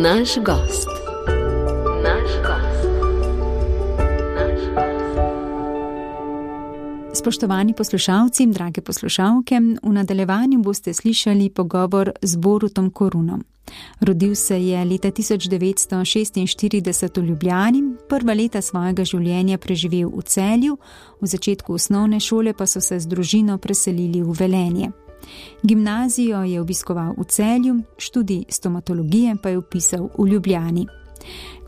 Naš gost. Spoštovani poslušalci, drage poslušalke, v nadaljevanju boste slišali pogovor z Borutom Korunom. Rodil se je leta 1946 v Ljubljani, prva leta svojega življenja preživel v Celju, v začetku osnovne šole pa so se z družino preselili v Velenje. Gimnazijo je obiskoval v Celju, študij stomatologije pa je vpisal v Ljubljani.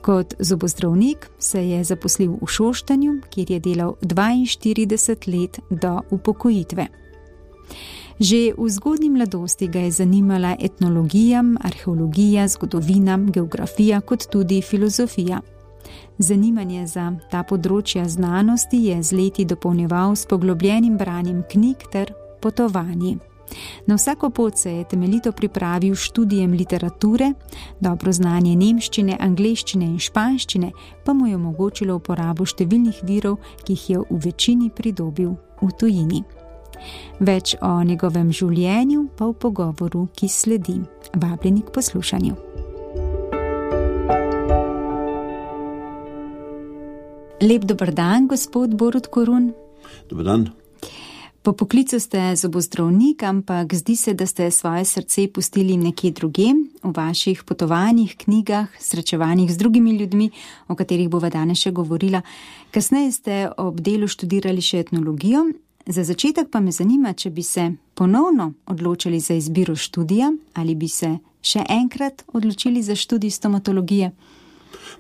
Kot zobozdravnik se je zaposlil v Šoštanju, kjer je delal 42 let do upokojitve. Že v zgodnji mladosti ga je zanimala etnologija, arheologija, zgodovina, geografija kot tudi filozofija. Zanimanje za ta področja znanosti je z leti dopolnjeval s poglobljenim branjem knjig ter potovanji. Na vsako pot se je temeljito pripravil študijem literature, dobro znanje nemščine, angleščine in španščine pa mu je omogočilo uporabo številnih virov, ki jih je v večini pridobil v tujini. Več o njegovem življenju pa v pogovoru, ki sledi. Vabljeni k poslušanju. Lep dober dan, gospod Borut Korun. Dober dan. Po poklicu ste zobozdravnik, ampak zdi se, da ste svoje srce pustili nekje drugje, v vaših potovanjih, knjigah, srečevanjih z drugimi ljudmi, o katerih bova danes še govorila. Kasneje ste ob delu študirali še etnologijo. Za začetek pa me zanima, če bi se ponovno odločili za izbiro študija ali bi se še enkrat odločili za študij stomatologije.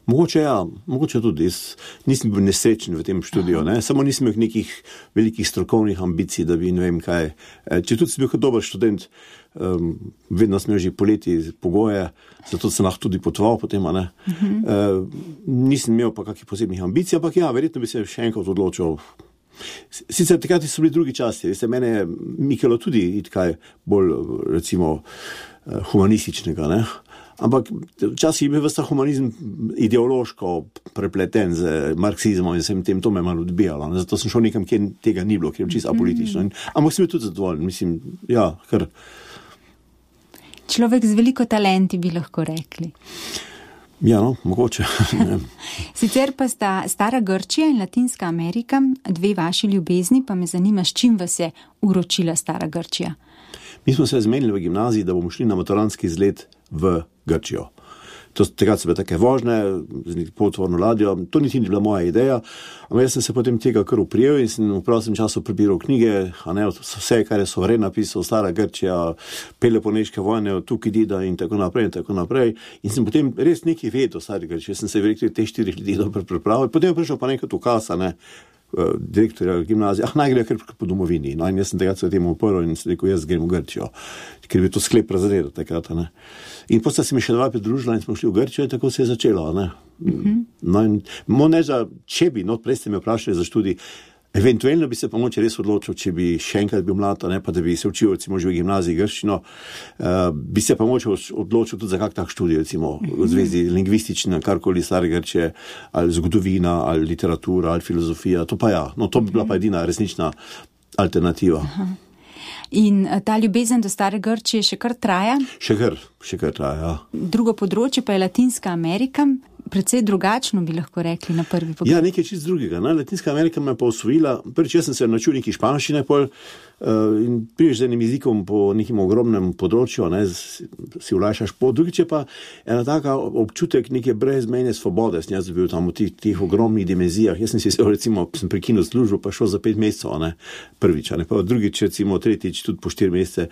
Mogoče ja, mogoče tudi. Jaz nisem bil nesrečen v tem študiju, ne? Samo nisem imel nekih velikih strokovnih ambicij, da bi ne vem kaj. Če tudi sem bil kot dober študent, vedno sem imel že poleti pogoje, zato sem lahko tudi potoval potem, ne? Nisem imel pa kakih posebnih ambicij, ampak ja, verjetno bi se še enkrat odločil. Sicer takrat so bili drugi časi, mene je mikalo tudi kaj bolj, recimo, humanističnega, ne? Ampak včasih je bil vsta humanizem ideološko prepleten z marksizmom in vsem tem, to me malo odbijalo. Zato sem šel nekam, kjer tega ni bilo, kjer je čisto apolitično. Ampak sem bil tudi zadovoljen, mislim, ja, kar... Človek z veliko talenti bi lahko rekli. Ja, no, mogoče. Sicer pa sta stara Grčija in Latinska Amerika, dve vaši ljubezni, pa me zanima, s čim vas je uročila stara Grčija. Mi smo se zmenili v gimnaziji, da bomo šli na maturantski izlet v Grčijo. Takrat so bile take vožnje, z potvorno ladjo, to niti ni bila moja ideja, ampak jaz sem se potem tega kar uprijel in sem v prostem času prebiral knjige, a ne, vse, kar je Sovren napisal, stara Grčija, Peloponeške vojne, od Tukidida in tako naprej. In sem potem res nekaj vedel o stari Grčiji, jaz sem se verjetno teh 4 ljudi dobro pripravil, potem je prišel pa nekaj ukaz, ne, direktorja gimnazije, naj gre kar po domovini. No, in jaz sem takrat se temu uprl in sem rekel, jaz grem v Grčijo, ker bi to sklep razredil takrat, ne. In potem se mi še dva pridružila in smo šli v Grčijo in tako se je začelo, ne. No, in če bi, prej ste me vprašali za študij, eventualno bi se pa moče res odločil, če bi še enkrat bil mlad, ne, pa da bi se učil, recimo, že v gimnaziji grščino, bi se pa moče odločil tudi za kak tak študij, recimo, v zvezi lingvistična, karkoli stare Grčije, ali zgodovina, ali literatura, ali filozofija, to pa ja, no, to bi bila pa edina resnična alternativa. In ta ljubezen do stare Grčije še kar traja? Še kar traja, ja. Drugo področje pa je Latinska Amerika, precej drugačno bi lahko rekli na prvi pogled. Ja, nekaj čist drugega. Latinska Amerika me pa osvojila. Prvič, jaz sem se naučil nekaj španščine in priješ z enim jezikom po nekim ogromnem področju, ne, si ulajšaš pot. Drugič je pa ena taka občutek neke brezmejne svobode. Sem jaz bil tam v tih ogromnih dimenzijah. Jaz sem si recimo, sem prekinil službo, pa šel za 5 mesecev, ne, prvič, ne, pa drugič, recimo, tretjič, tudi po 4 mesece.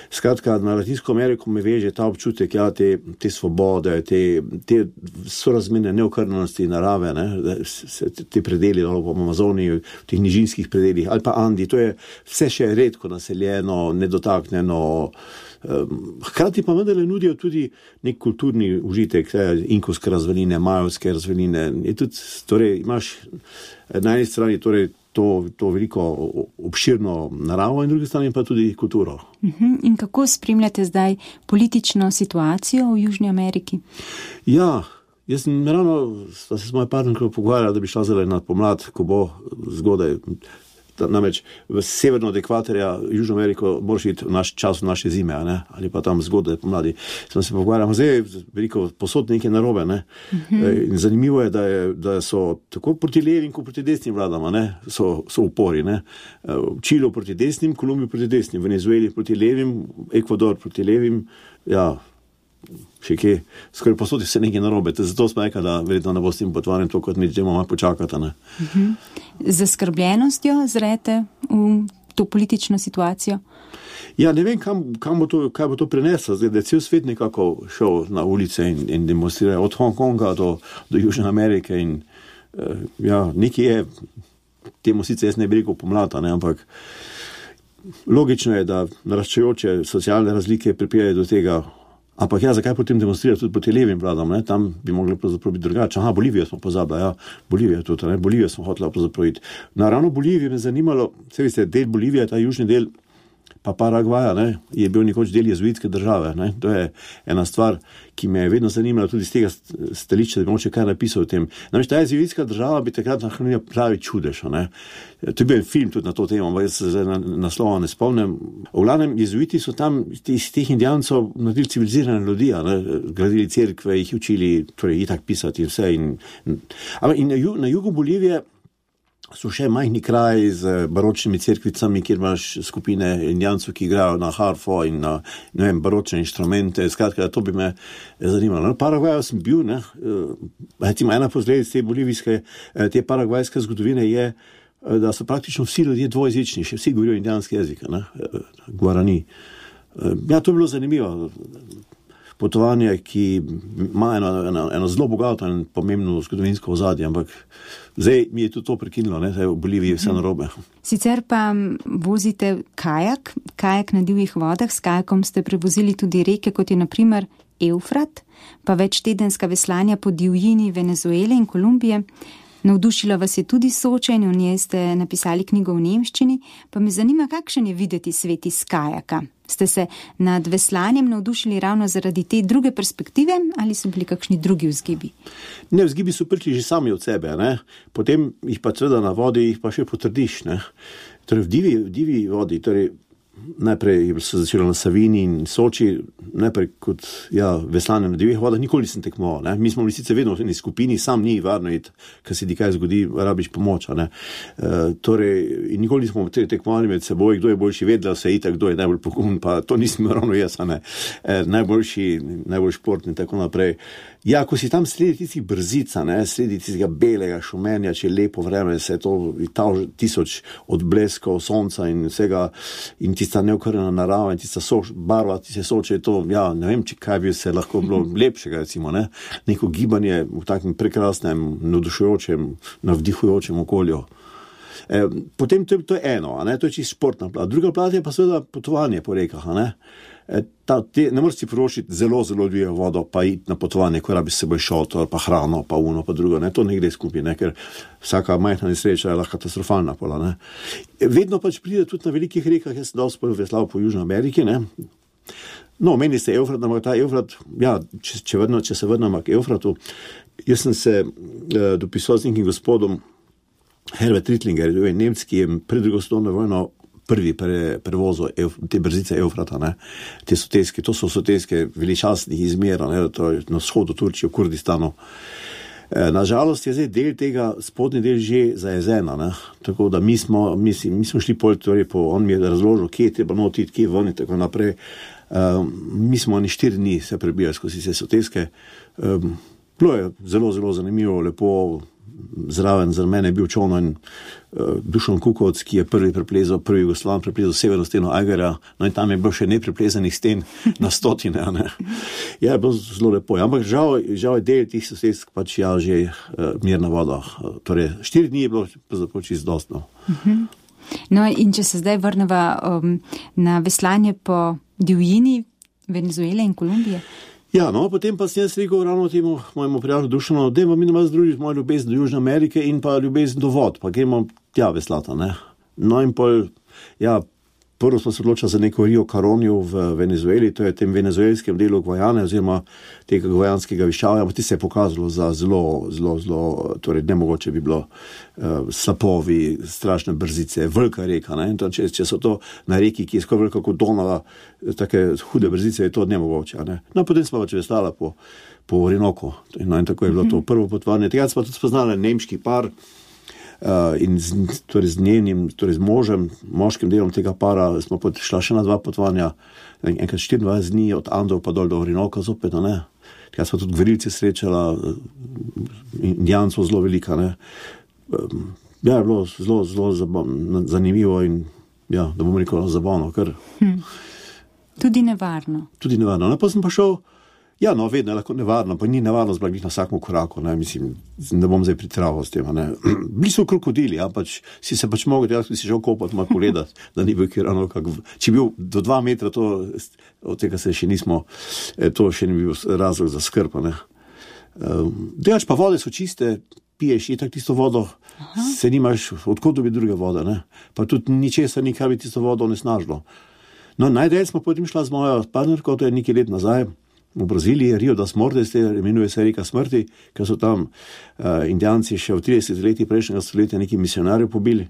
Skratka, na Latinsko Ameriko me veže ta občutek, ja, te svobode, te sorazmerne neokrnjenosti narave, ne, te predeli, v Amazoniji, v teh nižinskih predelih, ali pa Andi, to je vse še redko naseljeno, nedotaknjeno, hkrati pa vendarle nudijo tudi nek kulturni užitek, inkovske razvaline, majovske razvaline, je tudi, torej, imaš na eni strani torej to veliko obširno naravo in drugi strani pa tudi kulturo. In kako spremljate zdaj politično situacijo v Južni Ameriki? Ja, jaz sem ravno, da se s mojo partnerko pogovarjala, da bi šla zdaj na pomlad, ko bo zgodaj Namreč v severno od ekvatorja, Južno Ameriko, moraš iti v naš čas, v naše zime, ne? Ali pa tam zgodaj pomladi. Smo se pogovarjali, zdaj veliko posod nekaj narobe, ne? In zanimivo je, da so tako proti levim, kot proti desnim vladama, ne? So upori, ne? Čilo proti desnim, Kolumbijo proti desnim, Venezueli proti levim, Ekvador proti levim, ja, še kje, skoraj posod se nekaj narobe. Zato smo rekli, da verjetno ne bo s tem potvarjem to, kot mi želimo malo počakati. Ne? Z zaskrbljenostjo zrete v to politično situacijo? Ja, ne vem, kaj bo to prineslo. Zdaj, da je cel svet nekako šel na ulice in demonstrira od Hongkonga do Južne Amerike in ja, nekaj je, temu sicer jaz ne bi rekel pomlada, ne, ampak logično je, da naraščajoče socialne razlike pripeljajo do tega. Ampak ja, zakaj potem demonstrirati tudi proti levim vladam, ne? Tam bi mogli pravzaprav biti drugače. Aha, Bolivijo smo pozabili, ja, Bolivija tudi, ne? Bolivijo smo hotela pravzaprav iti. Ravno Bolivijo me zanimalo, se veste, del Bolivije, ta južni del, pa Paragvaja, ne, je bil nekoč del jezuitske države, ne. To je ena stvar, ki me je vedno zanimala tudi z tega stališča, da bi moče kaj napisal o tem. Namreč ta jezuitska država bi takrat nahranila pravi čudež, ne. To je bil film tudi na to temo, ampak jaz se zdaj naslova ne spomnim. V glavnem, jezuiti so tam iz teh indijancov naredili civilizirane ljudi, ne, gradili cerkve, jih učili, torej itak pisati in vse. Ampak na jugu Bolivije so še majhni kraji z baročnimi cerkvicami, kjer imaš skupine indijancov, ki igrajo na harfo in na, ne vem, baročne inštrumente. Skratka, to bi me zanimalo. No, Paragvaju sem bil, ne, ena posledic te paragvajske zgodovine je, da so praktično vsi ljudje dvojezični, še vsi govorijo indijanski jezik, ne, Guarani. Ja, to je bilo zanimivo. Potovanje, ki ima eno zelo bogato in pomembno zgodovinsko ozadje, ampak zdaj mi je tudi to prekinilo, ne, v Boliviji vse narobe. Sicer pa vozite kajak na divjih vodah, s kajakom ste prevozili tudi reke, kot je na primer Eufrat, pa večtedenska veslanja po divjini Venezuele in Kolumbije. Navdušila vas je tudi Soča in v njej ste napisali knjigo v nemščini, pa me zanima, kakšen je videti svet iz kajaka. Ste se nad veslanjem navdušili ravno zaradi te druge perspektive ali so bili kakšni drugi vzgibi? Ne, vzgibi so prišli že sami od sebe, ne. Potem jih pa seveda na vodi jih pa še potrdiš, ne. Torej v divji vodi, torej najprej se začelo na Savini in Soči, najprej kot veslanje na divjih vodah, nikoli nisem tekmoval, ne. Mi smo bili sicer vedno v eni skupini, sam ni varno iti, ker se ti kaj zgodi, rabiš pomoč, ne. Torej, in nikoli nismo tekmovali med seboj, kdo je boljši, vedela se itak, kdo je najbolj pogumen, pa to nisem ravno jaz, ne. Najbolj športni, tako naprej. Ja, ko si tam sredi tistih brzica, ne, sredi tistega belega šumenja, če je lepo vreme, se je to 1000 odbleskov sonca in vsega, in tista neokrnjena narava in tista barva, tiste Soče, to, ja, ne vem, kaj bi se lahko bilo lepšega, recimo, ne, neko gibanje v takem prekrasnem, navdušujočem, navdihujočem okolju. Potem to je eno, ne, to je čisto športna plat. Druga plat je pa seveda potovanje po rekah, ne. Ne moreš si privoščiti zelo dvijo vodo, pa iti na potovanje, ko rabiš s seboj šotor, pa hrano, pa uno, pa drugo, ne, to ne gre skupaj, ne, ker vsaka majhna nesreča je lahko katastrofalna pola, ne. Vedno pač pride tudi na velikih rekah, jaz sem dosti veslal po Južni Ameriki, ne. No, meni ste Eufrat, ampak ta Eufrat, ja, če se vrnemo k Eufratu, jaz sem se dopisoval z nekim gospodom Herbert Rittlinger, Nemec, ki je pred drugo svetovno vojno prvi prevozil te brzice Eufrata, ne, te soteske, to so soteske veličastnih izmera, ne, to je na vzhodu Turčije, v Kurdistanu. Nažalost je zdaj del tega, spodnji del že zajezena, ne, tako da mi smo šli on mi je razložil, kje je treba notiti, kje ven in tako naprej. Mi smo 4 dni se prebijali skozi se soteske. Bilo je zelo zanimivo, lepo. Zraven za mene je bil čolno in Dušan Kukovec, ki je prvi Jugoslavan preplezal severno steno Ajgarja, no in tam je bilo še nepreplezanih sten na stotine, ne. Ja, je bilo zelo lepo, ampak žal je del tih sosedsk pač že mirna voda. Torej, 4 dni je bilo čisto dostno. No in če se zdaj vrneva na veslanje po divjini Venezuele in Kolumbije? Ja, no, potem pa sem jaz rekel ravno temu mojemu prijatelju Dušanu, dajmo mi nas združiti mojo ljubezen do Južne Amerike in pa ljubezen do vod, pa gremo tja veslata, ne. No in pol, ja, Prvo smo se odločili za neko Rio Caronio v Venezueli, to je tem venezuelskem delu Gvajane oziroma tega gvajanskega višavja, ampak ti se je pokazalo za zelo, torej nemogoče bi bilo slapovi, strašne brzice, velika reka, ne? In to, če so to na reki, ki je skoraj velika kot Donava, take hude brzice, je to nemogoče, ne? No, potem smo pač vestala po Orinoku, in tako je bilo to prvo potovanje. Tega smo tudi spoznali nemški par, in z njenim, torej z moškim delom tega para smo šla še na 2 potovanja, enkrat 24 dni od Andov pa dol do Orinoka zopet, ne. Tega smo tudi gverilce srečala, indijancov zelo velika, ne. Ja, je bilo zelo zanimivo in ja, da bom rekel zabavno, ker... Tudi nevarno. No, pa sem pa šel, ja, no, vedno je lahko nevarno, pa ni nevarno zblagiti na vsakem koraku, ne, mislim, ne bom zdaj pritraval s tem, ne. Bili so krokodili, ja, pač, si se pač mogel, jaz bi si šel kopati, malo pogledati, da ni bil kirano, če bil do 2 metra, to, od tega se še nismo, to še ni bil razlog za skrb, ne. Dejač pa vode so čiste, piješ itak tisto vodo, se nimaš, odkot dobi druge vode, ne, pa tudi ničesar ni, kar bi tisto vodo onesnažilo. No, najdalje smo potem šla z mojo partnerko, to je nekaj let nazaj, v Braziliji, Rio das Mortes, imenuje se reka smrti, ker so tam indijanci še v 30 letih prejšnjega stoletja neki misionarjev pobili.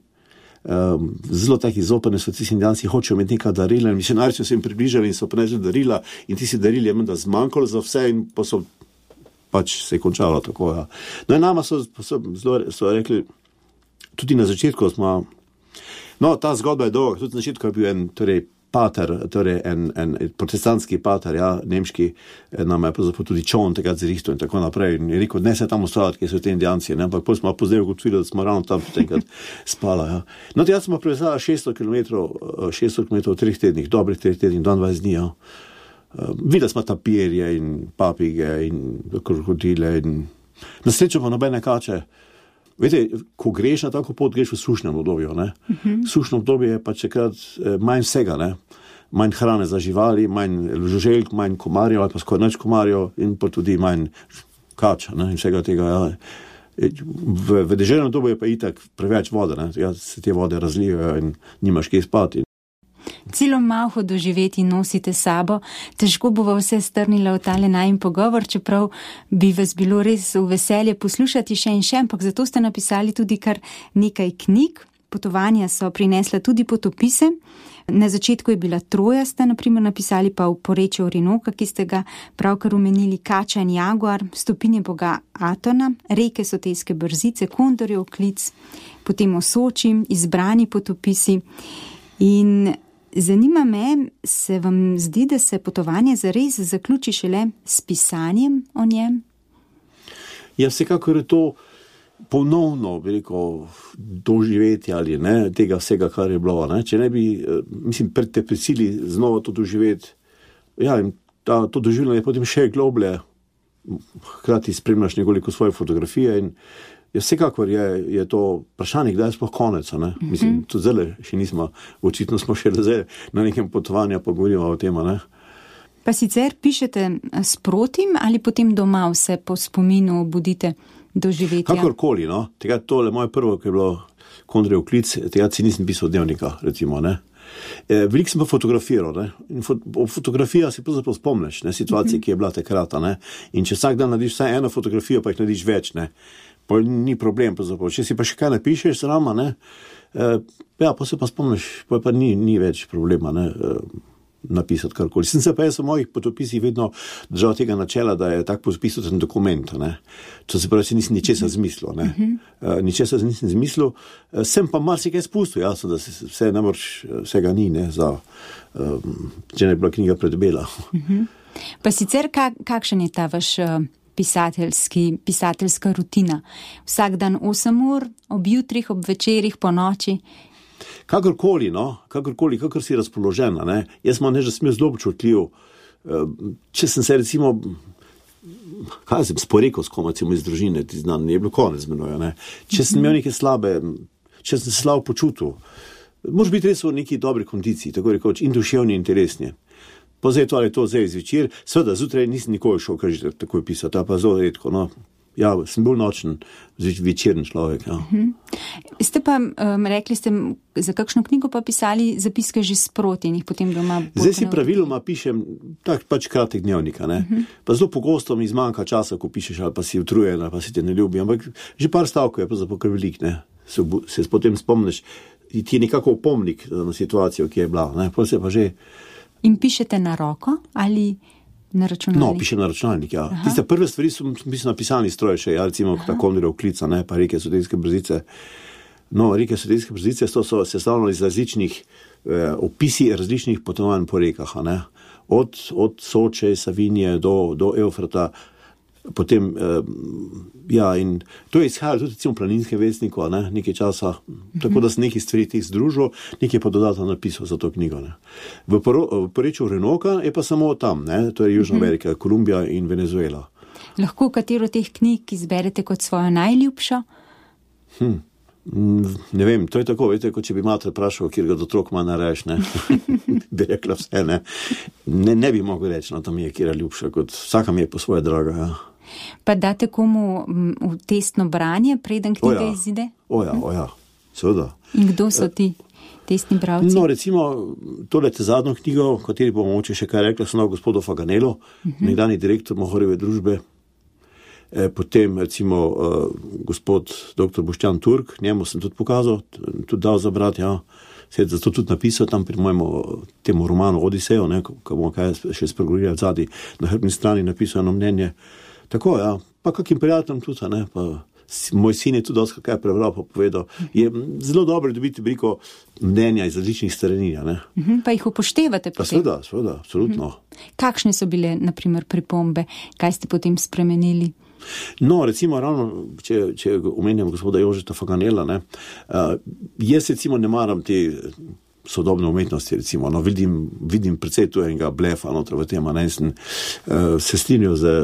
Zelo taki zoprni so ti indijanci, hočejo imeti neka darila, in misionarji so se jim približali in so prinesli darila in ti si darili je menda zmanjkalo za vse in pa so pač se je končalo tako, ja. No in nama so rekli, tudi na začetku smo, no, ta zgodba je dolga, tudi na začetku je bil en, torej pater, torej en protestantski pater, ja, nemški, nam je pravzaprav tudi čon tega zrihto in tako naprej. In je rekel, ne se tam ustavljati, kjer so te indijanci, ne, ampak potem smo pozdaj ugotovili, da smo ravno tam enkrat spala, ja. No, jaz smo prevezala 600 km v 3 tednih, dobrih 3 tednih, 22 dni, ja. Videli smo tapirje in papige in krokodile in na srečo pa nobene kače. Vete, ko greš na tako pot, greš v sušnem obdobju, ne. Sušno obdobje je pa čekrat manj vsega, ne. Manj hrane za živali, manj žuželk, manj komarjev ali pa skoraj nič komarjev in pa tudi manj kač, ne, in vsega tega, ja. V deželnem obdobju je pa itak preveč vode, ne. Ja, se te vode razlijajo in nimaš kje spati. Celo malho doživeti nosite sabo, težko bova vse strnila v tale najin pogovor, čeprav bi vas bilo res v veselje poslušati še in še, ampak zato ste napisali tudi kar nekaj knjig. Potovanja so prinesla tudi potopise. Na začetku je bila Troja, ste naprimer napisali, pa v porečju Orinoka, ki ste ga pravkar omenili, Kača in Jaguar, Stopinje boga Atona, Reke Sotejske brzice, Kondorjev klic, potem o Soči, Izbrani potopisi. In zanima me, se vam zdi, da se potovanje zares zaključi šele s pisanjem o njem? Ja, vsekakor je to ponovno, bi rekel, doživeti ali ne, tega vsega, kar je bilo, ne. Če ne bi, mislim, te prisili znova to doživeti, ja, in to doživljanje je potem še globlje, hkrati spremljaš nekoliko svoje fotografije in vsekakor je to vprašanje, kdaj je sploh konec, ne. Mislim, tudi zdaj še nismo, očitno smo še zdaj na nekem potovanju, pa govorimo o tem, ne. Pa sicer pišete sprotim ali potem doma vse po spominu budite doživetja? Kakorkoli, no. Tega tole moje prvo, ki je bilo Kondorjev klic, tega si nisem pisal dnevnika, recimo, ne. Veliko sem pa fotografiral, ne. In fotografija si pravzaprav spomniš, ne, situacije, ki je bila takrat, ne. In če vsak dan narediš vsaj eno fotografijo, pa jih narediš več, ne. Pa ni problem, pravzaprav. Če si pa še kaj napišeš zrama, ne, ja, pa se pa spomniš, pa ni več problema, ne, napisati karkoli. Sem se pa jaz v mojih potopisih vedno držal tega načela, da je tak potopis tudi dokument, ne. To se pravi, nisem ničesar zmislil, ne. Ničesar nisem zmislil, sem pa marsikaj spustil, jasno, da se vse namreč, vsega ni, ne, za, če ne bila knjiga predbela. Pa sicer, kakšen je ta vaš pisateljska rutina? Vsak dan 8 ur, ob jutrih, ob večerih, po noči? Kakorkoli, no, kakor si razpoložena, ne. Jaz imam že smel zelo občutljiv. Če sem se recimo, kaj sem sporekel s kom, recimo iz družine, ti znam, je bilo konec z menoj, ne. Če sem imel neke slabe, če sem se slabo počutil, moraš biti res v neki dobri kondiciji, tako rekoč, in duševni in telesni. Pa zdaj to ali to zdaj zvečer, seveda zjutraj nisem nikoli šel, kar že takoj pisati, pa zelo redko, no. Ja, sem bolj nočen, večeren človek. Ja. Ste pa, rekli ste, za kakšno knjigo pa pisali zapiske že sproti in jih potem doma... Zdaj si praviloma pišem tak pač kratek dnevnika, ne. Pa zelo pogosto mi zmanjka časa, ko pišeš, ali pa si utrujen, ali pa si te ne ljubi, ampak že par stavkov je pa zapravo velik, ne. Se potem spomniš, ti je nekako opomnik na situacijo, ki je bila, ne. Pa se pa že... In pišete na roko ali... Na računalnik? No, pišem na računalnik, ja. Tiste prve stvari sem na pisalni stroj še, ja, recimo tako klica, ne, pa Reke Soteske brzice. No, Reke Soteske brzice so sestavljene iz različnih opisi različnih potovanj po rekah, ne. Od Soče, Savinje do Eufrata, potem, ja, in to je izhajalo tudi recimo v Planinskem vestniku, ne, nekaj časa, tako da sem nekaj stvari teh združil, nekaj pa dodatno napisal za to knjigo, ne. V porečju Orinoka je pa samo tam, ne, to je Južna Amerika, Kolumbija in Venezuela. Lahko katero teh knjig izberete kot svojo najljubšo? Ne vem, to je tako, veste, kot če bi mater vprašal, kjer ga otrok ima nareš, ne, bi rekla vse, ne. Ne bi mogel reči, no, to mi je kjer ljubša, kot vsaka mi je po svoje draga, ja. Pa date komu v testno branje, preden knjiga izide? Oja, seveda. In kdo so ti testni bralci? No, recimo, tole zadnjo knjigo, o kateri bomo mogoče še kaj rekla, so gospodu Faganelo, nekdanji direktor Mohorjeve družbe, potem recimo gospod dr. Boštjan Turk, njemu sem tudi pokazal, tudi dal za brat, ja. Se je zato tudi napisal tam pri mojemu temu romanu Odisejo, ne, ko bomo kaj še spregovorili zadnji, na hrbni strani napisal eno mnenje. Tako, ja, pa kakim prijateljem tudi, ne, pa moj sin je tudi dosti kaj prebral, pa povedal, je zelo dobro dobiti veliko mnenja iz različnih strani, ne. Pa jih upoštevate potem? Pa seveda, absolutno. Kakšne so bile, na primer, pripombe? Kaj ste potem spremenili? No, recimo, ravno, če omenjam gospoda Jožeta Faganela, ne, jaz recimo ne maram te sodobne umetnosti, recimo, no, vidim precej tu enega blefa notra v tem, ne, se strinjal z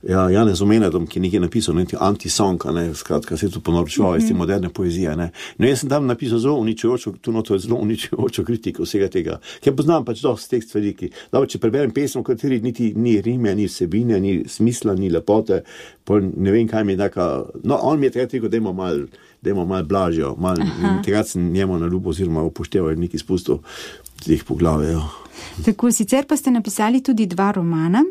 Janezom Menedom, ki nekaj napisal, nekaj anti-song, ne, skratka, se je tu ponorčeval iz te moderne poezije, ne. No, jaz sem tam napisal zelo uničujočo kritiko vsega tega, ker poznam pač dosti teh stvari, dobro, če preberem pesem, v kateri niti ni rime, ni vsebine, ni smisla, ni lepote, ne vem, kaj mi je taka, no, on mi je takrat rekel, dajmo mal blažjo, in takrat sem njemu na ljubo oziroma upošteval nekaj spustov teh poglavij, ja. Tako, sicer pa ste napisali tudi 2 romana,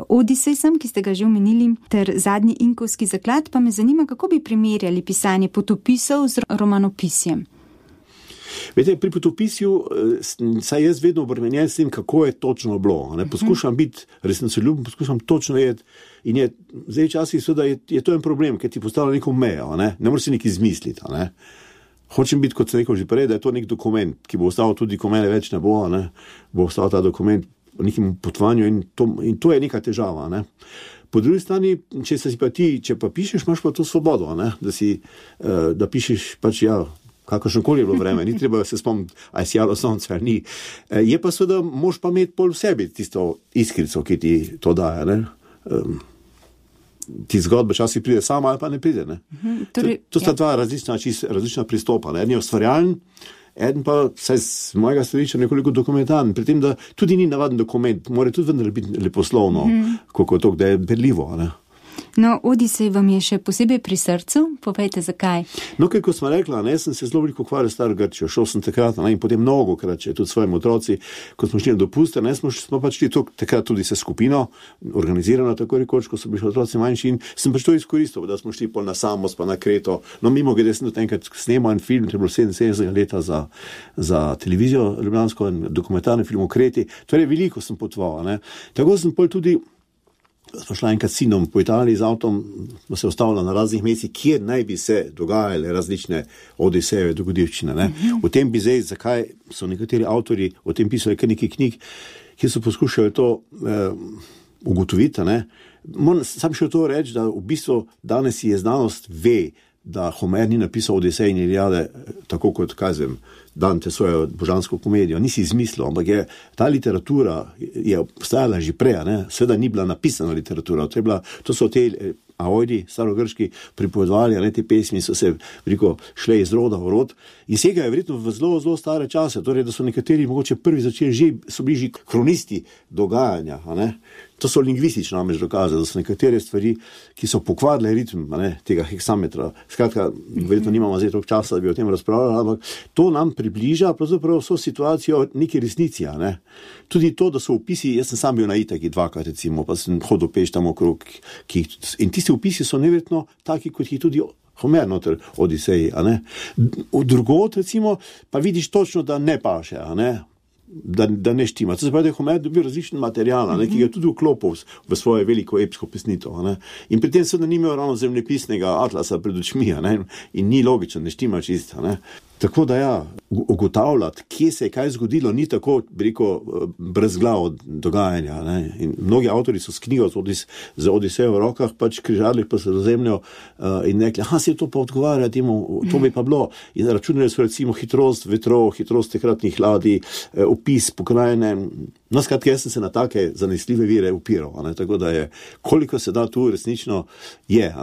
Odisej sem, ki ste ga že omenili, ter Zadnji inkovski zaklad, pa me zanima, kako bi primerjali pisanje potopisov z romanopisjem. Vete, pri potopisju saj jaz vedno obremenjen s tem, kako je točno bilo, ne, poskušam biti resnicoljuben, poskušam točno vedeti in je, zdaj časih seveda je to en problem, ker ti postavlja neko mejo, ne moreš si nekaj izmisliti, ne. Hočem biti, kot sem rekel že prej, da je to nek dokument, ki bo ostal tudi, ko mene več ne bo, ne, bo ostal ta dokument o nekem potovanju in to je neka težava, ne. Po drugi strani, če pa pišeš, imaš pa to svobodo, ne, da pišeš pač, ja, kakršnokoli je bilo vreme, ni treba se spomniti, a je sijalo sonce ali ni. Je pa seveda, moš pa imeti pol v sebi tisto iskrico, ki ti to daje, ne. Ti zgodba časih pride sama ali pa ne pride, ne. To sta 2 različna pristopa, ne. En je ustvarjalen, eden pa, saj z mojega stališča nekoliko dokumentarni, pri tem, da tudi ni navaden dokument, mora tudi vendar biti leposlovno, koliko je to, da je berljivo, ne. No, Odisej vam je še posebej pri srcu, povejte zakaj. No, kot smo rekla, ne, sem se zelo veliko ukvarjal s staro Grčijo, šel sem takrat, ne, in potem mnogokrat, tudi svojim otroci, ko smo šli na dopuste, ne, smo pač šli takrat tudi se skupino, organizirano tako rekoč, ko so bili otroci manjši in sem pač to izkoristil, da smo šli pol na Samos, pa na Kreto, no, mimogrede sem tudi enkrat snemal en film, to je bilo 77 leta za televizijo ljubljansko, dokumentarni film o Kreti, torej veliko sem potoval, ne, tako sem pol tudi smo šla enkrat s sinom po Italiji z avtom, smo se ustavili na raznih mestih, kjer naj bi se dogajale različne Odisejeve dogodivščine, ne. O tem bi zdaj, zakaj so nekateri avtorji o tem pisali kar nekaj knjig, ki so poskušali to ugotoviti, ne. Moram sam še to reči, da v bistvu danes je znanost ve, da Homer ni napisal Odisej in Iliade, tako kot, kažem, Dante svojo božansko komedijo, nisi izmislil, ampak je ta literatura je obstajala že prej, ne, seveda ni bila napisana literatura, to so te Aojdi, starogrški, pripovedovali, ne, te pesmi so se veliko šle iz roda v rod in segajo verjetno v zelo, zelo stare čase, torej, da so nekateri mogoče prvi začeli so bili že kronisti dogajanja, ne. To so lingvistični namreč dokaze, da so nekatere stvari, ki so pokvarile ritem tega heksametra. Skratka, verjetno nimamo zdaj toliko časa, da bi o tem razpravljali, ampak to nam približa pravzaprav vso situacijo neki resnici. Tudi to, da so opisi, jaz sem sam bil na Itaki dvakrat recimo, pa sem hodil peš tam okrog, in tisti opisi so neverjetno taki, kot jih tudi Homer noter Odiseji. Drugot recimo, pa vidiš točno, da ne paše, da ne štima. To se pravi, da je Homer dobil različen material, ki ga je tudi vklopil v svoje veliko epsko pesnito. In pri tem seveda ni imel ravno zemljepisnega atlasa pred očmi, in ni logično, ne štima čisto. Tako da ugotavljati, kje se je kaj zgodilo, ni tako, bi rekel, brezglavo dogajanja. In mnogi avtori so s knjigo z Odisejo v rokah pač križali pa Sredozemljo in rekli, se to pa odgovarja temu, to bi pa bilo. In računali so recimo hitrost vetrov, hitrost takratnih ladij, opis pokrajine. No, skratka, jaz sem se na take zanesljive vire upiral, tako da je, koliko se da tu resnično je.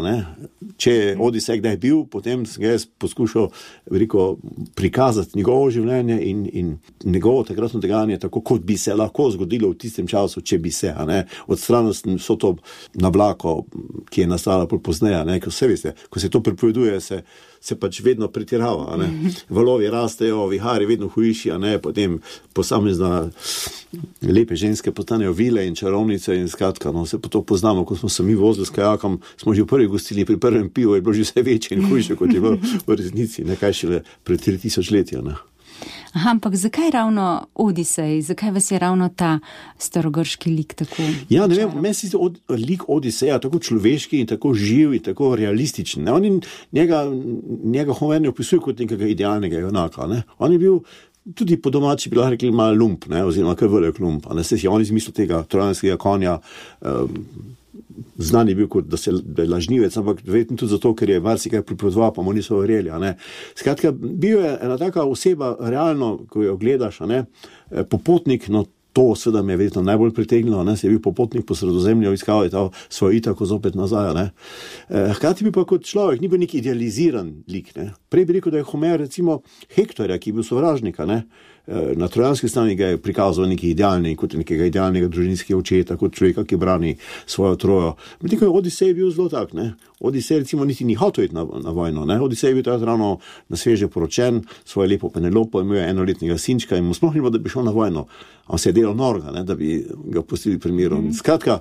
Če je Odisej kdaj bil, potem sem ga jaz poskušal, veliko, prikazati njegovo življenje in njegovo takratno dogajanje tako, kot bi se lahko zgodilo v tistem času, če bi se, odstranili so to nablako, ki je nastala pozneje, ko se veste, ko se to pripoveduje, se pač vedno pretirava, valovi rastejo, vihari vedno hujši, potem posamezna lepe ženske postanejo vile in čarovnice in skratka, se pa to poznamo, ko smo se mi vozili s kajakom, smo že v prvi gostili, pri prvem pivu je bilo že vse večje in hujše, kot je bilo v resnici, nekaj šele pred 3000 leti. Ampak zakaj ravno Odisej? Zakaj vas je ravno ta starogrški lik tako? Ja, ne vem, meni se lik Odiseja tako človeški in tako živ in tako realističen. Njega Homer ne opisuje kot nekega idealnega junaka. On je bil tudi po domači bi lahko rekli malo lump, oziroma kar velik lump. On izmislil tega trojanskega konja, znan je bil kot, da je lažnivec, ampak verjetno tudi zato, ker je marsikaj pripovedoval, pa mu niso verjeli. Skratka, bil je ena taka oseba, realno, ko jo gledaš, popotnik, no to seveda me je verjetno najbolj pritegnilo, se je bil popotnik po Sredozemlju, iskal je ta svojo Itako zopet nazaj. Hkrati bi pa kot človek, ni bil nek idealiziran lik. Prej bi rekel, da je Homer recimo Hektorja, ki je bil sovražnika, na trojanski strani ga je prikazal kot nekega idealnega družinskega očeta, kot človeka, ki brani svojo Trojo. Medtem ko je Odisej bil zelo tak, Odisej recimo niti ni hotel iti na vojno, Odisej je bil takrat ravno na sveže poročen, svojo lepo Penelopo, imel je enoletnega sinčka in mu sploh ni bilo, da bi šel na vojno. On se je delal norga, da bi ga pustili pri miru. Skratka,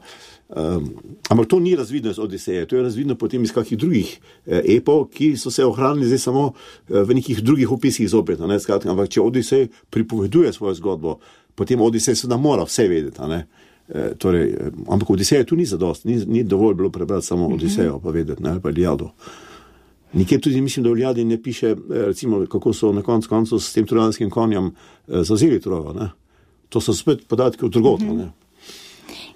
ampak to ni razvidno iz Odiseje, to je razvidno potem iz kakih drugih epov, ki so se ohranili zdaj samo v nekih drugih opisih zopet. Skratka, ampak če Odisej pripoveduje svojo zgodbo, potem Odisej seveda mora vse vedeti. Ampak Odiseja tu ni zadost, ni dovolj bilo prebrati samo Odisejo, pa vedeti, ali pa Iliado. Nikjer tudi mislim, da v Iliadi ne piše, recimo, kako so na koncu s tem trojanskim konjem zavzeli Trojo. To so spet podatki od drugot.